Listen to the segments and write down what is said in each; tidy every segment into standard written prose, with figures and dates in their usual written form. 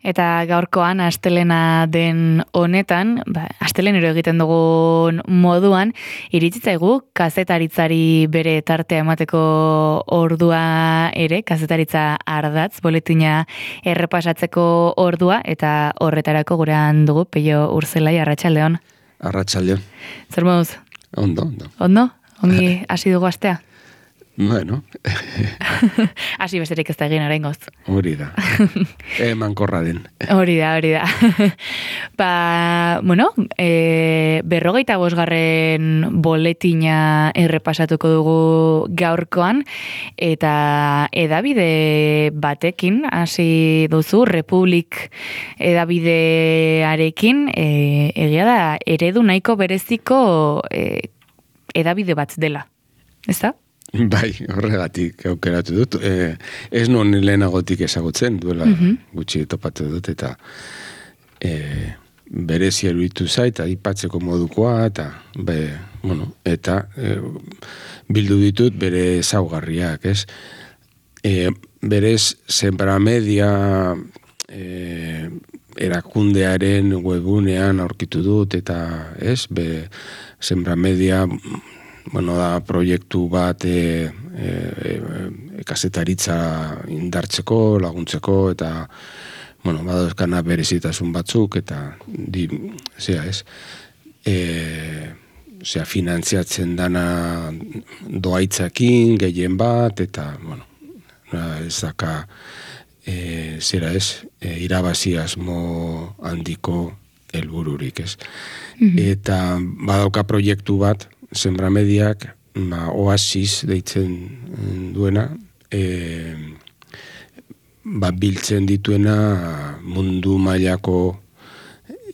Eta gaurkoan, astelena den honetan, astelenero egiten dugun moduan, iritsitzaigu kazetaritzari bere tartea emateko ordua ere, kazetaritza ardatz, boletina errepasatzeko ordua, eta horretarako gurean dugu, Peio Urzelai, arratsaldeon. Arratsaldeon. Zer moduz? Ondo. Ondo? Ongi hasi dugu astea? Bueno. Hasi besterik ez da egin oraingoz. Hori da. Mankorra den. Hori da. Berrogeita bosgarren boletina errepasatuko dugu gaurkoan, eta edabide batekin, hasi duzu, Republik edabidearekin, egia da, eredu nahiko bereziko edabide bat dela, ez da? Bai, horregatik aukeratu dut. Ez nuen lehenagotik ezagutzen, duela gutxi topatu dut, eta berezi eruditu zait, aipatzeko modukoa, eta bildu ditut bere ezaugarriak, ez? Berez, Sembra Media erakundearen webunean aurkitu dut, eta ez, Sembra Media da proiektu bat kazetaritza indartzeko, laguntzeko, eta badauzkana berezitasun batzuk, eta finantziatzen dana doaitzakin, gehien bat, eta ez daka irabazi asmo handiko helbururik, ez. Eta badauka proiektu bat, Sembra Mediak, Oasis deitzen duena, biltzen dituena mundu mailako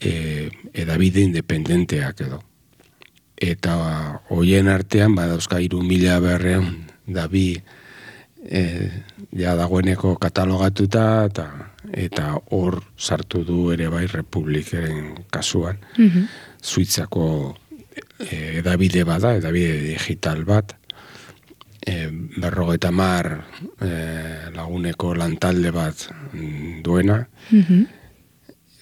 edabide independenteak edo. Eta hoien artean, badauzka 3.200 dabi dagoeneko katalogatuta, eta hor sartu du ere bai Republiken kasuan, Suitzako edabide bada, edabide digital bat, 50 laguneko lantalde bat duena,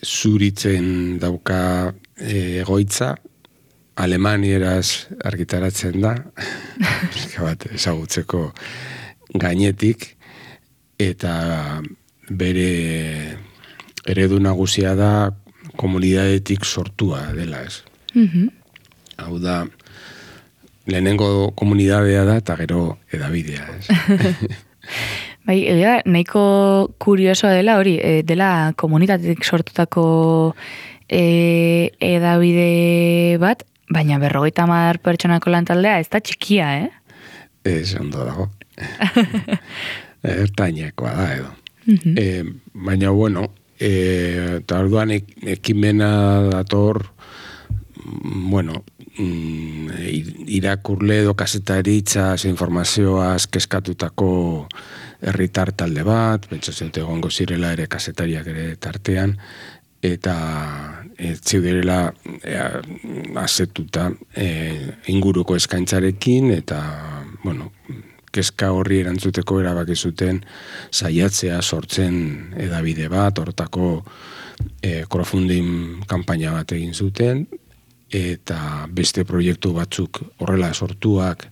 Zuritzen dauka egoitza, alemanieraz argitaratzen da, bat ezagutzeko gainetik, eta bere eredu nagusia da komunidadetik sortua dela, ez. Hau da, lehenengo komunidadea da, eta gero edabidea, ez. Bai, nahiko kuriosoa dela hori, dela komunitatetik sortutako edabide bat, baina 50 pertsonako lantaldea ez da txikia, Ez, ondo dago. Ertainekoa da, edo. Baina, eta orduan ekimena dator, irakurle edo kazetaritza informazioaz keskatutako herritar talde bat, pentsatzen egongo zirela ere kazetariak ere tartean, eta zeuderela azetuta inguruko eskaintzarekin, eta, kezka horri erantzuteko erabaki zuten saiatzea sortzen edabide bat, hortako crowdfunding kanpaina bat egin zuten, eta beste proiektu batzuk horrela sortuak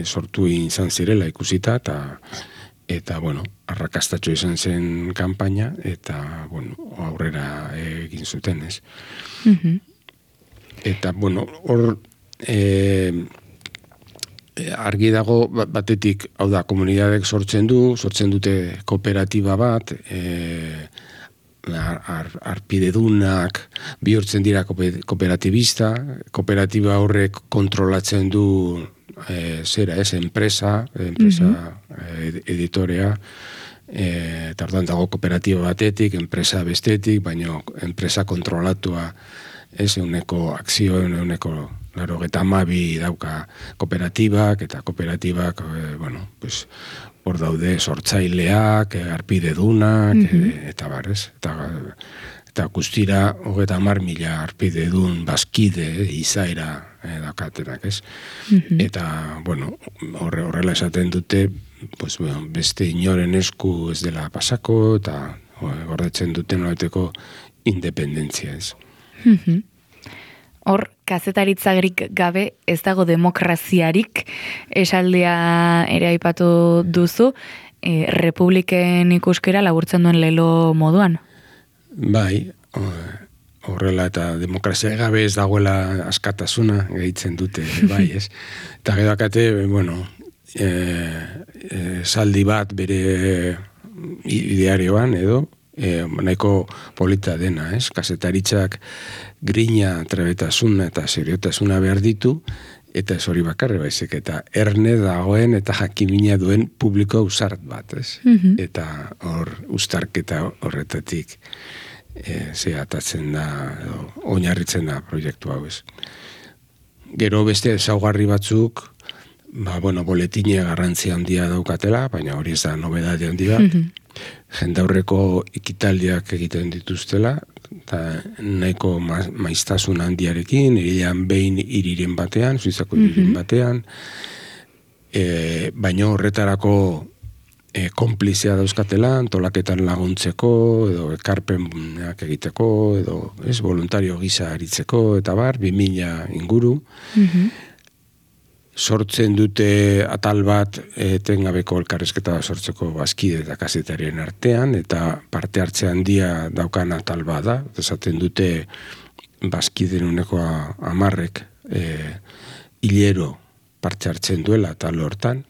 sortu izan zirela ikusita, eta arrakastatxo izan zen kanpaina, eta aurrera egin zuten, ez. Eta hor argi dago batetik, hau da, komunidadek sortzen dute kooperatiba bat, arpidedunak bihurtzen dira kooperatibista, kooperatiba horrek kontrolatzen du enpresa editorea, eta orduan dago kooperatiba batetik, enpresa bestetik, baina enpresa kontrolatua euneko akzio, euneko 92 dauka kooperatibak, eta kooperatibak, hor daude sortzaileak, arpidedunak, eta barrez. Eta guztira, 30.000 arpidedun bazkide, izaera daukatenak, ez? Eta, horrela esaten dute, pues, bueno, beste inoren esku ez dela pasako, eta gordetzen duten nolabiteko independentzia ez. Hor, kazetaritzarik gabe ez dago demokraziarik, esaldia ere aipatu duzu, republiken ikuskera laburtzen duen lelo moduan? Bai, horrela eta demokrazia gabe ez dagoela askatasuna gehitzen dute, bai, ez? Eta gero akate, bueno, saldi bat bere idearioan edo, nahiko polita dena, ez? Kazetaritzak grina, trebetasuna eta seriotasuna behar ditu, eta ez hori bakarri baizik, eta erne dagoen eta jakimina duen publiko ausart bat, ez? Eta hor uztarketa horretatik atatzen da, oinarritzen da proiektu hau, ez. Gero beste ezaugarri batzuk, boletine garrantzia handia daukatela, baina hori ez da nobedade handi bat, jendaurreko ikitaldiak egiten dituztela, eta nahiko maiztasun handiarekin, irilean behin iriren batean, Suizako iriren batean, baina horretarako konplizia dauzkatela, antolaketan laguntzeko, edo ekarpenak egiteko, edo voluntario gisa aritzeko, eta 2000 inguru. Sortzen dute atal bat etengabeko elkarrizketa sortzeko bazkide eta kazetarien artean, eta parte hartze handia daukan atal bat da. Esaten dute bazkiden uneko 10 hilero parte hartzen duela atal hortan.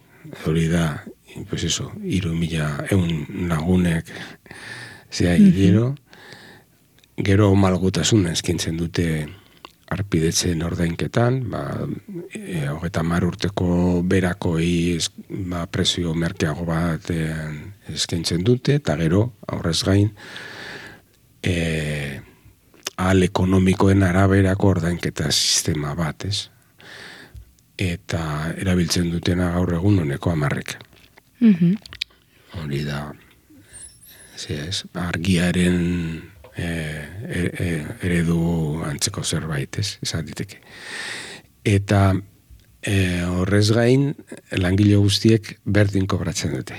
Hori da, pues eso, 3.100 lagunek hilero. Gero malgutasuna eskintzen dute arpidetzen ordainketan, 30 urteko berakoi prezio merkeago bat eskaintzen dute, eta gero, aurrez gain, ahal ekonomikoen araberako ordainketa sistema bat, ez? Eta erabiltzen dutena gaur egun honeko 10. Hori da, argiaren eredu antzeko zerbait, ez, esan diteke. Eta horrez gain, langile guztiek berdin kobratzen dute.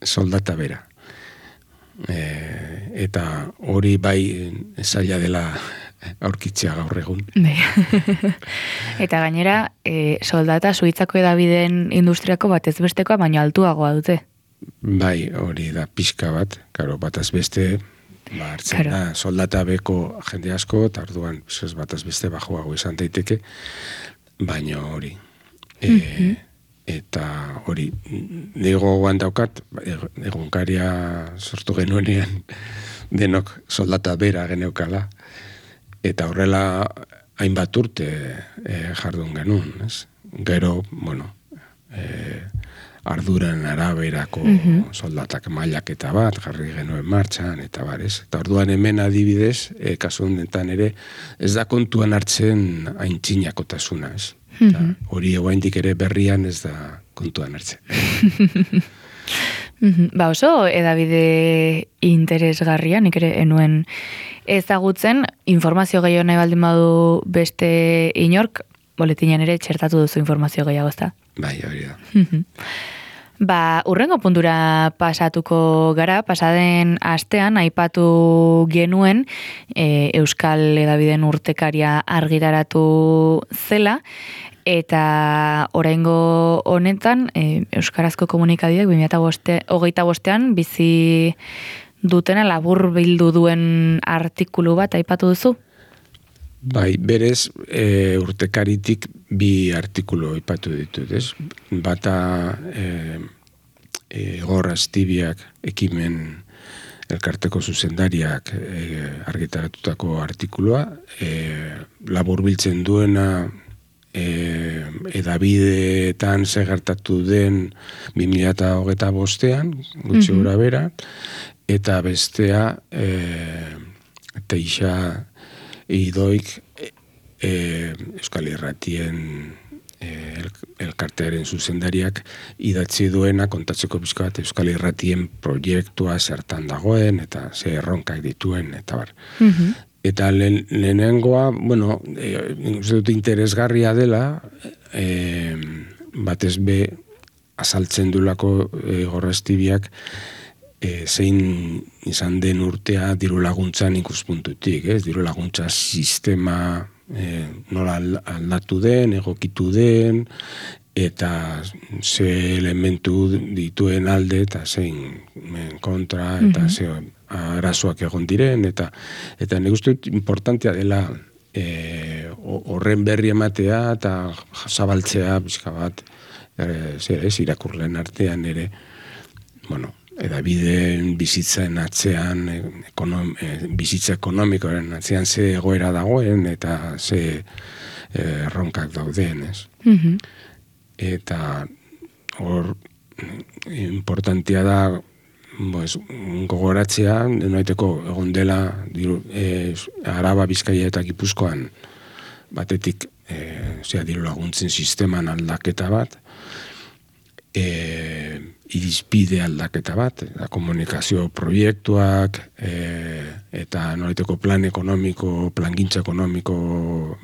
Soldata bera. Eta hori bai zaila dela aurkitzea gaur egun. Eta gainera, soldata Suitzako hedabideen industriako batez bestekoa, baina altuagoa dute. Bai, hori da pixka bat, bataz beste, hartzen da, soldata beko jende asko, eta orduan bataz beste bajoago izan daiteke, baina hori. Eta hori, nego guan daukat, egunkaria sortu genuenean denok soldata bera geneukala, eta horrela hainbat urte jardun genuen, ez? Gero, arduran araberako soldatak mailaketa bat, jarri genuen martxan, eta barez. Eta orduan hemen adibidez, kasu honetan ere, ez da kontuan hartzen aintzinakotasuna, ez? Hori oraindik ere berrian ez da kontuan hartzen. Oso edabide interesgarria, nik ere enuen ezagutzen, informazio gehiago nahi baldin badu beste inork, boletinean ere txertatu duzu informazio gehiago, ezta? Bai, hori da. Urrengo puntura pasatuko gara, pasaden astean aipatu genuen Euskal Hedabideen urtekaria argitaratu zela, eta oraingo honetan Euskarazko komunikabideak 2025an bizi dutena labur bildu duen artikulu bat aipatu duzu? Bai, berez urtekaritik 2 artikulu aipatu ditut, ez? Bata Igor Astibiak ekimen elkarteko zuzendariak argitaratutako artikulua, laburbiltzen duena edabideetan segertatu den 2025an, gutxi gora bera, eta bestea Teixa Idoik Euskal Irratien elkartearen zuzendariak idatzi duena kontatzeko pixka bat Euskal Irratien proiektua zertan dagoen eta ze erronkak dituen eta bar. Eta lehenengoa, uste dut interesgarria dela, batez be azaltzen dulako Gorrestibiak zein izan den urtea diru laguntzan ikuspuntutik, diru laguntza sistema nola aldatu den, egokitu den, eta ze elementu dituen alde eta zein kontra eta ze arazoak egon diren, eta nik uste dut importantea dela horren berri ematea eta zabaltzea pixka bat irakurleen artean ere, bueno, edabideen bizitzen atzean, bizitza ekonomikoaren atzean ze egoera dagoen eta ze erronkak dauden, ez? Eta hor importantia da gogoratzea, noiteko egon dela Araba, Bizkaia eta Gipuzkoan batetik diru laguntzen sisteman aldaketa bat, irizpide aldaketa bat, komunikazio proiektuak eta noraiteko plangintza ekonomiko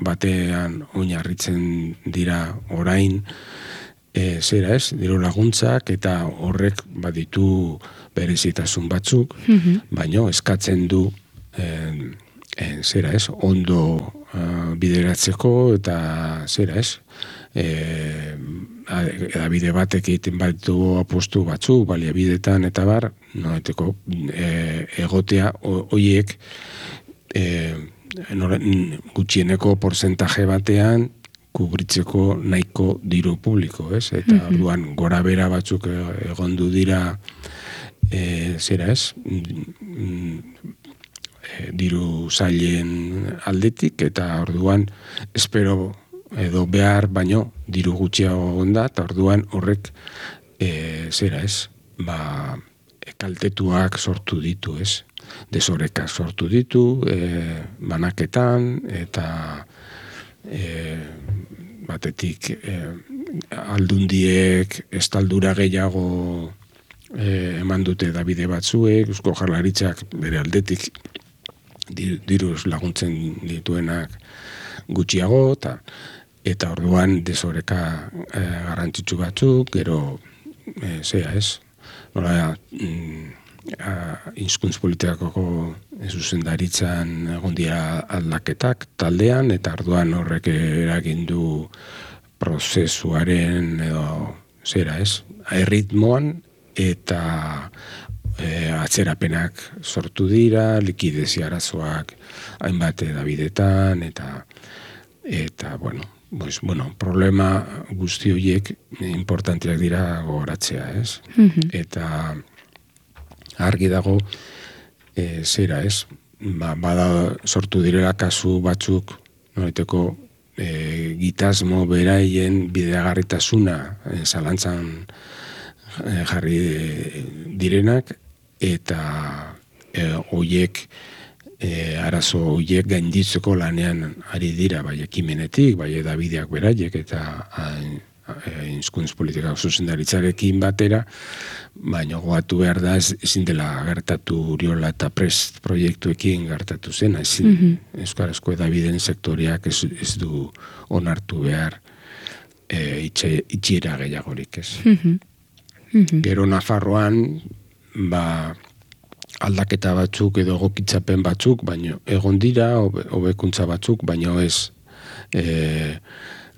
batean oinarritzen dira orain, diru laguntzak eta horrek baditu berezitasun batzuk, baino eskatzen du ondo bideratzeko eta edabide batek egiten baditu apostu batzuk, baliabidetan eta bar, noeteko egotea horiek gutxieneko porcentaje batean kubritzeko nahiko diru publiko, ez? Eta orduan gora bera batzuk egondu dira diru zailen aldetik, eta orduan espero edo behar baino diru gutxiago onda, eta orduan horrek kaltetuak sortu ditu, ez? Desorekak sortu ditu, banaketan, eta batetik aldundiek estaldura gehiago eman dute edabide batzuek, Eusko Jaurlaritzak bere aldetik diruz laguntzen dituenak gutxiago, eta orduan desoreka garrantzitsu batzuk, gero nola hizkuntz politikako zuzendaritzan egon dira aldaketak taldean, eta orduan horrek eragin du prozesuaren edo erritmoan, eta atzerapenak sortu dira, likidezia arazoak hainbat edabidetan, eta problema guzti horiek importanteak dira gogoratzea, ez? Eta argi dago bada sortu direla kasu batzuk noreteko gitasmo beraien bideagarritasuna zalantzan jarri direnak, eta horiek arazo horiek gainditzeko lanean ari dira, bai ekimenetik, bai edabideak beraiek, eta hizkuntz politika zuzendaritzarekin batera, baina gogatu behar da ezin dela gertatu Uriola eta Prest proiektuekin gertatu zen, ezin euskarazko edabideen sektoriak ez du onartu behar itxiera gehiagorik, ez. Gero Nafarroan aldaketa batzuk edo egokitzapen batzuk, baino egon dira, hobekuntza batzuk, baino ez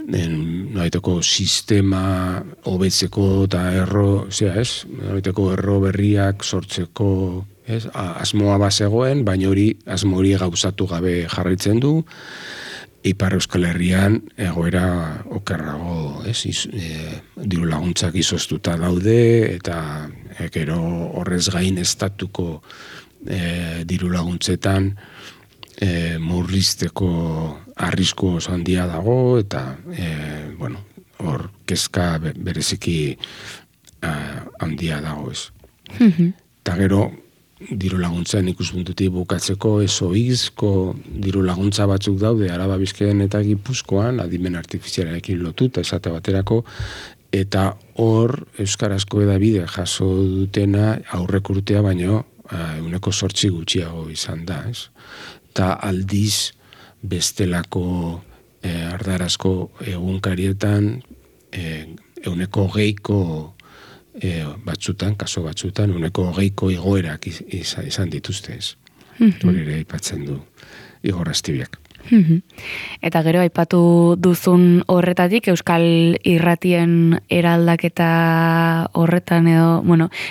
noaiteko sistema hobetzeko eta noaiteko erro berriak sortzeko asmoa bazegoen, baina asmo hori gauzatu gabe jarraitzen du. Ipar Euskal Herrian egoera okerrago, diru laguntzak izoztuta daude, eta gero horrez gain estatuko diru laguntzetan murrizteko arrisku oso handia dago, eta hor kezka bereziki handia dago, ez. Eta gero diru laguntzen ikuspuntutik bukatzeko ezoizko diru laguntza batzuk daude Araba, Bizkaian eta Gipuzkoan, adimen artifizialarekin lotuta esate baterako, eta hor euskarazko edabide jaso dutena aurrek urtea baino 8% gutxiago izan da, ez? Eta aldiz bestelako ardarazko egunkarietan 20% kaso batzutan, 20% igoerak izan dituzte ez. Hori ere aipatzen du Igor Astibiak. Eta gero aipatu duzun horretatik Euskal Irratien eraldaketa horretan edo,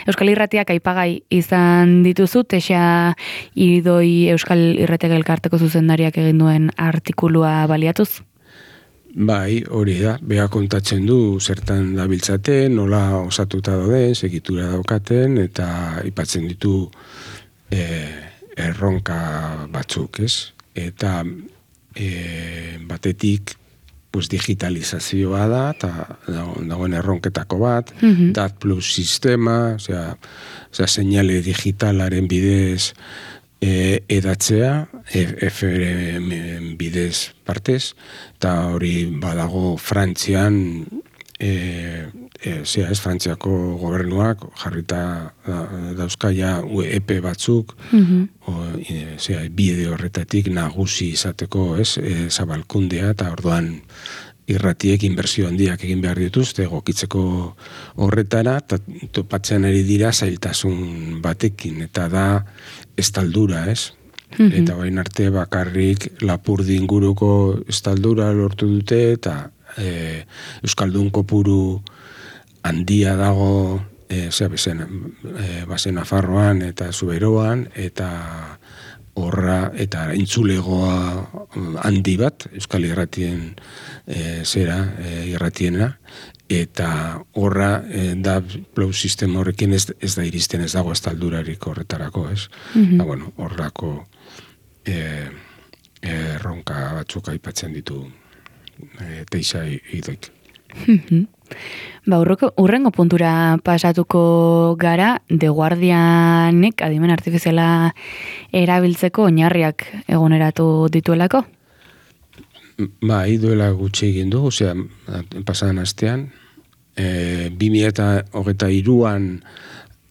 Euskal Irratiak aipagai izan dituzu, Texa Idoi Euskal Irratiak elkarteko zuzendariak egin duen artikulua baliatuz? Bai, hori da, beha kontatzen du zertan dabiltzaten, nola osatuta dauden, segitura daukaten, eta aipatzen ditu erronka batzuk, ez? Eta batetik digitalizazioa da, eta dagoen erronketako bat, DAT plus sistema, seinale digitalaren bidez edatzea, FM bidez partez, eta hori badago Frantzian, Frantziako gobernuak jarrita dauzkaia EP batzuk, bide horretatik nagusi izateko, zabalkundea, eta orduan irratiek inbertsio handiak egin behar dituzte egokitzeko horretara, eta topatzen ari dira zailtasun batekin, eta da estaldura, Eta bain arte bakarrik Lapurdi inguruko estaldura lortu dute, eta Euskaldun kopuru handia dago bazen Nafarroan eta Zuberoan, eta horra eta intzulegoa handi bat Euskal Irratien irratiena, eta horra da plus sistema horrekin ez da iristen, ez dago estaldurarik horretarako, horrako erronka batzuk aipatzen ditu Texa Idoik. Urrengo puntura pasatuko gara, The Guardianek adimen artifiziala erabiltzeko oinarriak eguneratu dituelako? Duela gutxi egin du, pasadan astean, 2023an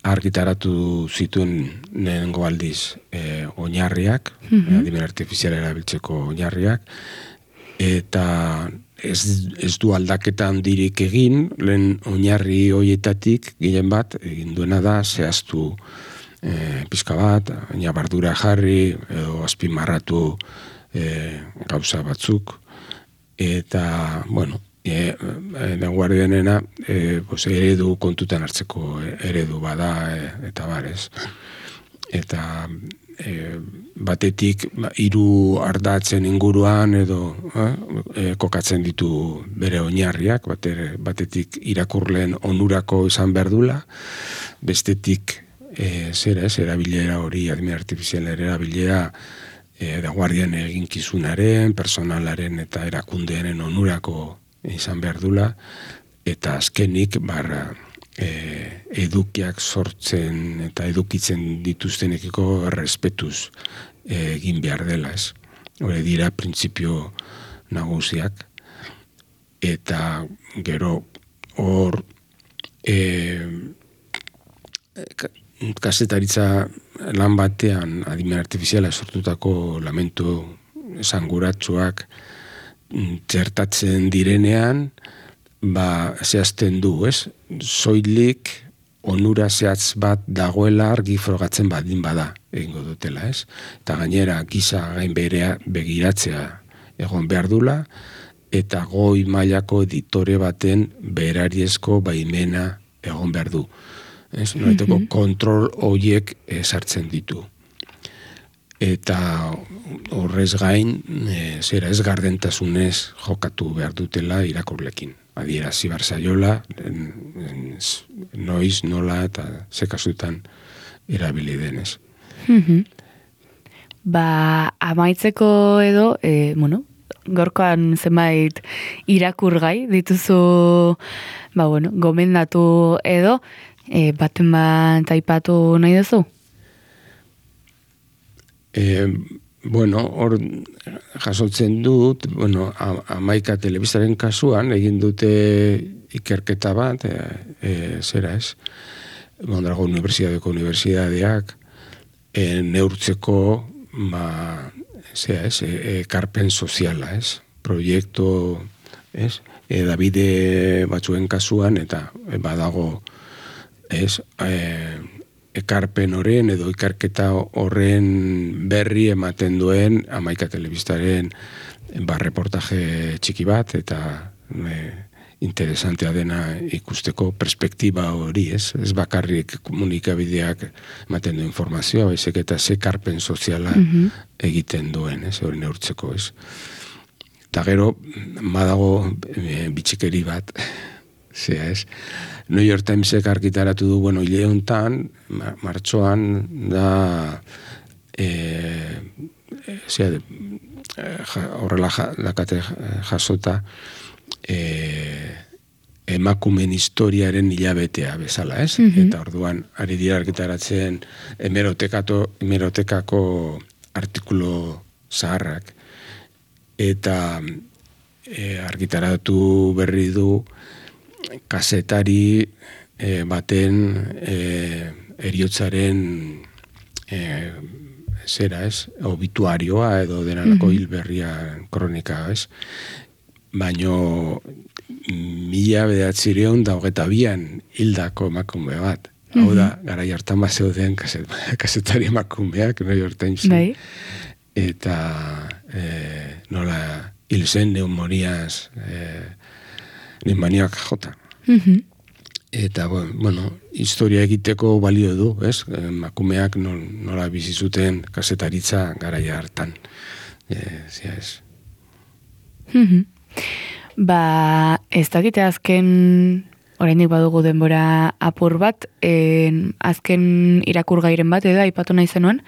argitaratu zituen lehenengo aldiz oinarriak, adimen artifiziala erabiltzeko oinarriak, eta ez du aldaketa handirik egin, lehen oinarri horietatik, gehien bat, egin duena da, zehaztu pizka bat, nabardura jarri, edo azpimarratu gauza batzuk, eta, The Guardianena eredu kontutan hartzeko eredu bada, eta barez. Eta batetik 3 ardatzen inguruan edo kokatzen ditu bere oinarriak, batetik irakurleen onurako izan behar dula, bestetik erabilera hori, adimen artifizialen erabilera The Guardian eginkizunaren, personalaren eta erakundearen onurako izan behar dula, eta azkenik edukiak sortzen eta edukitzen dituztenekiko errespetuz egin behar dela, Hore dira printzipio nagusiak, eta gero hor kazetaritza lan batean adimen artifiziala sortutako lamentu esanguratsuak txertatzen direnean, zehazten du, soilik onura zehatz bat dagoela argi frogatzen badin bada egingo dutela, Eta gainera giza gain berea begiratzea egon behar dula, eta goi mailako editore baten berariezko baimena egon behar du. Noreteko kontrol horiek sartzen ditu. Eta horrez gain, ez gardentasunez jokatu behar dutela irakurlekin. Adierazi barzaiola, noiz, nola eta zekasutan erabili denez. Amaitzeko edo, gorkoan zenbait irakurgai dituzu, gomendatu edo, baten bat aipatu nahi duzu? Hor jasotzen dut, Amaika telebistaren kasuan egin dute ikerketa bat, Mondragon Unibertsitateak neurtzeko ekarpen soziala, proiektu, edabide batzuen kasuan, eta badago ekarpen horren edo ikarketa horren berri ematen duen Hamaika telebistaren reportaje txiki bat, eta interesantea dena ikusteko perspektiba hori, ez bakarrik komunikabideak ematen du informazioa, baizik eta ze ekarpen soziala egiten duen, hori neurtzeko, ez. Eta gero, badago bitxikeri bat, zea, ez. New York Timesek argitaratu du, hile hontan, martxoan, da, horrela lakate jasota, emakumen historiaren hilabetea bezala, ez? Eta orduan, ari dira argitaratzen hemerotekako artikulu zaharrak, eta argitaratu berri du kazetari baten heriotzaren obituarioa edo denalako hilberria kronika, ez? Baino 1992an hildako emakume bat. Hau da, garai hartan bazeuden kazetari emakumeak, New York Times. Eta nola hil zen neumoniaz nimaniak jota. Eta, historia egiteko balio du, ez? Emakumeak nola bizi zuten kazetaritza garaia hartan. Zia ez. Ez dakite azken, oraindik badugu denbora apur bat, azken irakurgairen bat edo aipatu nahi zenuen?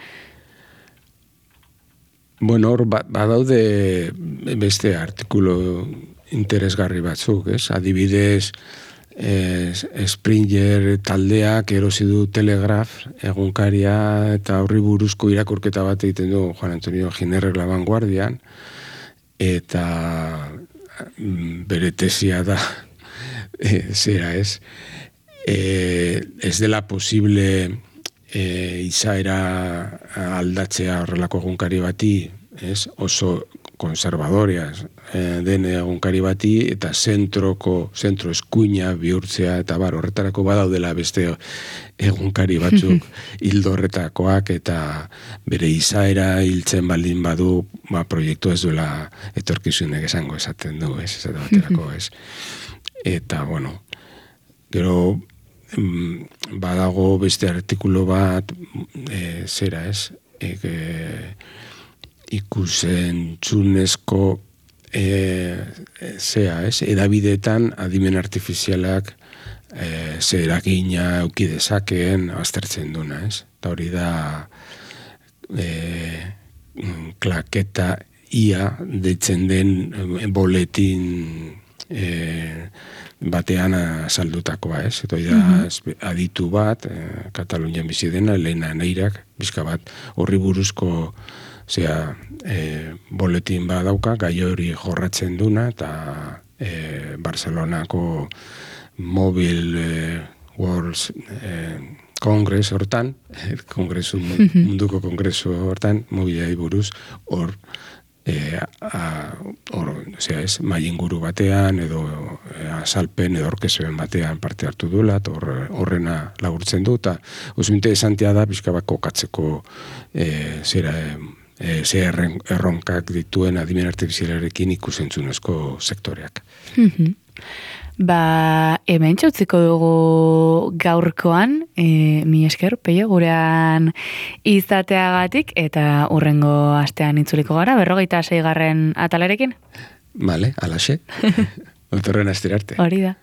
Hor badaude beste artikulu interesgarri batzuk, ez? Adibidez, Springer taldeak erosi du Telegraph egunkaria eta horri buruzko irakurketa bat egiten du Juan Antonio Ginerrek La Vanguardian, eta bere tesia da zera ez dela posible izaera aldatzea horrelako egunkari bati, oso konservadorea den egunkari bati, eta zentro eskuina bihurtzea, eta horretarako badaudela beste egunkari batzuk hildo horretakoak, eta bere izaera hiltzen baldin badu, proiektu ez duela etorkizunek esango esaten du, esate baterako, Eta, gero badago beste artikulu bat, ikusentzunezko edabideetan adimen artifizialak ze eragina euki dezakeen aztertzen duna, eta hori da klaketa ia deitzen den boletin batean saldutakoa, eta hori da aditu bat, Katalunian bizi dena, Elena Neirak, bizka bat horri buruzko boletin bat dauka, gai hori jorratzen duna, eta Barcelonako Mobile World Congress hortan, munduko kongresu hortan, mobilei buruz, hor mailinguru batean edo azalpen edo orkesoen batean parte hartu duela, horrena lagurtzen du, eta oso interesantea da pixka bat kokatzeko erronkak dituen adimen artifizialarekin ikusentzunezko sektoreak. Hemen txautziko dugu gaurkoan, mi esker, Peio, gurean izateagatik, eta hurrengo astean itzuliko gara, 26. atalarekin? Bale, alaxe. Otorren astera arte. Hori da.